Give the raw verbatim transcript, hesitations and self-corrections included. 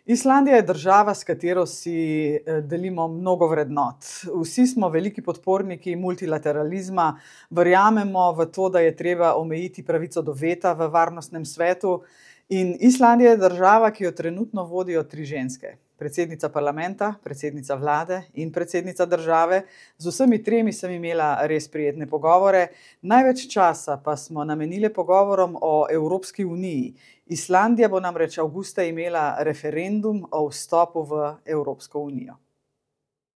Islandija je država, s katero si eh, delimo mnogo vrednot. Vsi smo veliki podporniki multilateralizma, verjamemo v to, da je treba omejiti pravico do veta v varnostnem svetu. In Islandija je država, ki jo trenutno vodijo tri ženske. Predsednica parlamenta, predsednica vlade in predsednica države. Z vsemi tremi sem imela res prijetne pogovore. Največ časa pa smo namenile pogovorom o Evropski uniji. Islandija bo namreč avgusta imela referendum o vstopu v Evropsko unijo.